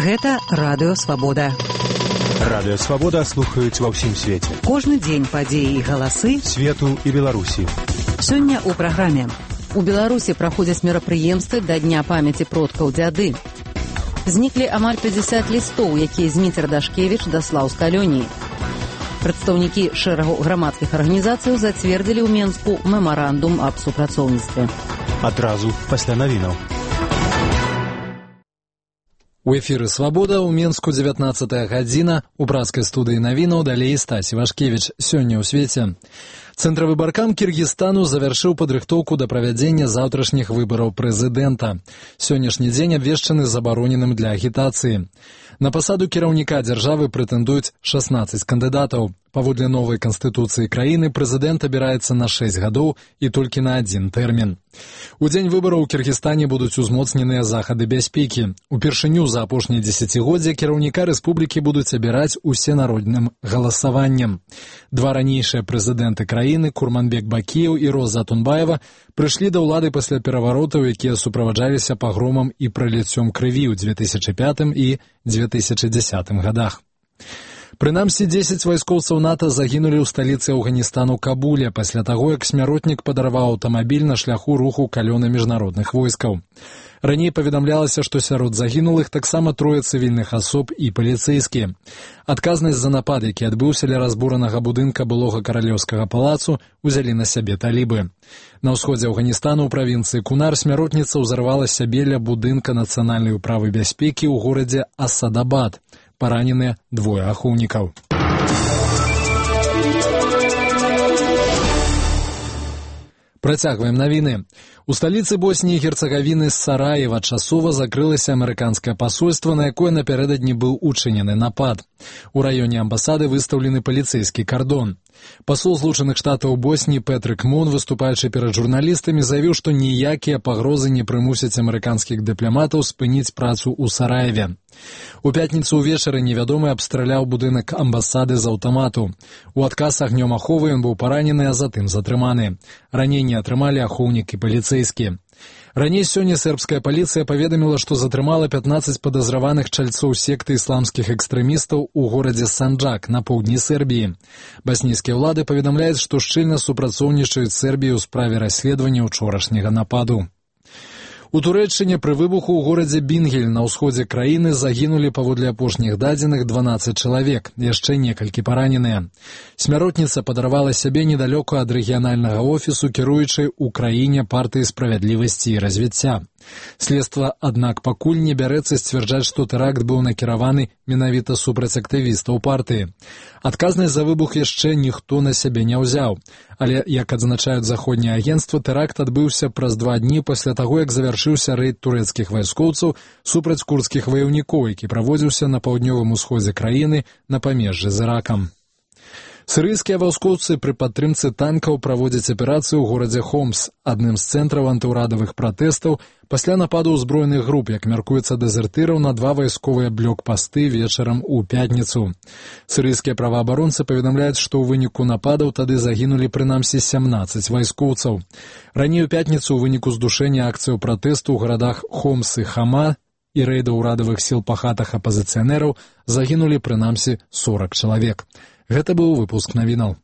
Гэта Радыё Свабода. Радыё Свабода слухаюць ва ўсім свеце. Кожны дзень падзеі і галасы свету і Беларусі. Сёння ў праграме. У Беларусі праходзяць мерапрыемствы да Дня памяці продкаў дзяды. Зніклі амаль 50 лістоў, якія Зміцер Дашкевіч даслаў з калоніі. Прадстаўнікі шэрагу грамадскіх арганізацыяў зацвердзілі ў Менску мемарандум аб супрацоўніцтве. Адразу пасля навінаў. У эфіры «Свабода» ў Менску 19 гадзіна. У брацкай студыі навінаў далей Стасі Вашкевіч. Сёння ў свеце. Цэнтравы баркам Кіргізстану завяршыў падрыхтоўку да правядзення заўтрашніх выбараў прэзідэнта. Сённяшні дзень абвешчаны забароненым для агітацыі. На пасаду кіраўніка дзяржавы прэтэндуюць 16 кандыдатаў. Паводле новай канстытуцыі краіны прэзідэнт абіраецца на 6 гадоў і толькі на адзін тэрмін. У дзень выбараў у Кіргізстане будуць узмоцненыя захады бяспекі. Упершыню за апошняе дзесяцігоддзе кіраўніка рэспублікі будуць абіраць усенародным галасаваннем. Два ранейшыя прэзідэнты краіны, Курманбек Бакіеў і Роза Атунбаева, прыйшлі да ўлады пасля пераваротаў, якія суправаджаліся пагромам і праліццём крыві ў 2005 і 2010 гадах. Прынамсі, 10 вайскоўцаў НАТО загінулі ў сталіцы Афганістану Кабуле пасля таго, як смяротнік падарваў аўтамабіль на шляху руху калёна міжнародных войскаў. Раней паведамлялася, што сярод загінулых таксама трое цывільных асоб і паліцэйскія. Адказнасць за напад, які адбыўся ля разбуранага будынка былога каралеўскага палацу, узялі на сябе талібы. На ўсходзе Афганістану ў правінцыі Кунар смяротніца ўзарвала сябе ля будынка нацыянальнай управы бяспекі ў горадзе Асадабад. Параненыя двое ахоўнікаў. Працягваем навіны. У сталіцы Босніі і Герцагавіны з Сараева часова закрылася амерыканскае пасольства, на якое напярэдадні быў учынены напад. У раёне амбасады выстаўлены паліцэйскі кардон. Пасол Злучаных Штатаў Босніі Петрик Мун, выступаючы перад журналістамі, заявіў, што ніякія пагрозы не прымусяць амерыканскіх дыпламатаў спыніць працу ў Сараеве. У пятніцу ўвечары невядомы абстраляў будынак амбасады з аўтамату. У адказ агнём аховы ён быў паранены, а затым затрыманы. Раненні атрымалі ахоўнік і паліцэйскі. Раней сёння сербская паліцыя паведаміла, што затрымала 15 падазраваных чальцоў секты ісламскіх экстрэмістаў у горадзе Санджак на поўдні Сербіі. Баснійскія ўлады паведамляюць, што шчыльна супрацоўнічаюць з Сербіяй у справе расследавання ўчорашняга нападу. У Турэччыне пры выбуху ў горадзе Бінгель на ўсходзе краіны загінулі паводле апошніх дадзеных 12 чалавек, яшчэ некалькі параненыя. Смяротніца падарвала сябе недалёка ад рэгіянальнага офісу, кіруючай у краіне партыі справядлівасці і развіцця. Следства, аднак, пакуль не бярэцца сцвярджаць, што тэракт быў накіраваны менавіта супраць актывістаў партыі. Адказнасць за выбух яшчэ ніхто на сябе не ўзяў. Але, як адзначаюць заходнія агенцтвы, тэракт адбыўся праз 2 дні пасля таго, як завяршыўся рэйд турэцкіх вайскоўцаў супраць курдскіх ваяўнікоў, які праводзіўся на паўднёвым усходзе краіны на памежжы з Іракам. Сірыйскія вайскоўцы пры падтрымцы танкаў праводзяць аперацыю ў горадзе Хомс, адным з цэнтраў антыўрадавых пратэстаў, пасля нападу ўзброеных груп, як мяркуецца, дэзертыраў на 2 вайсковыя блокпасты вечарам у пятніцу. Сірыйскія праваабаронцы паведамляюць, што ў выніку нападаў тады загінулі прынамсі 17 вайскоўцаў. Раней у пятніцу ў выніку здушэння акцыяў пратэсту ў гарадах Хомс і Хама і рэйда ўрадавых сіл па хатах апазіцыянераў загінулі прынамсі 40 чалавек. Гэта быў выпуск навінаў.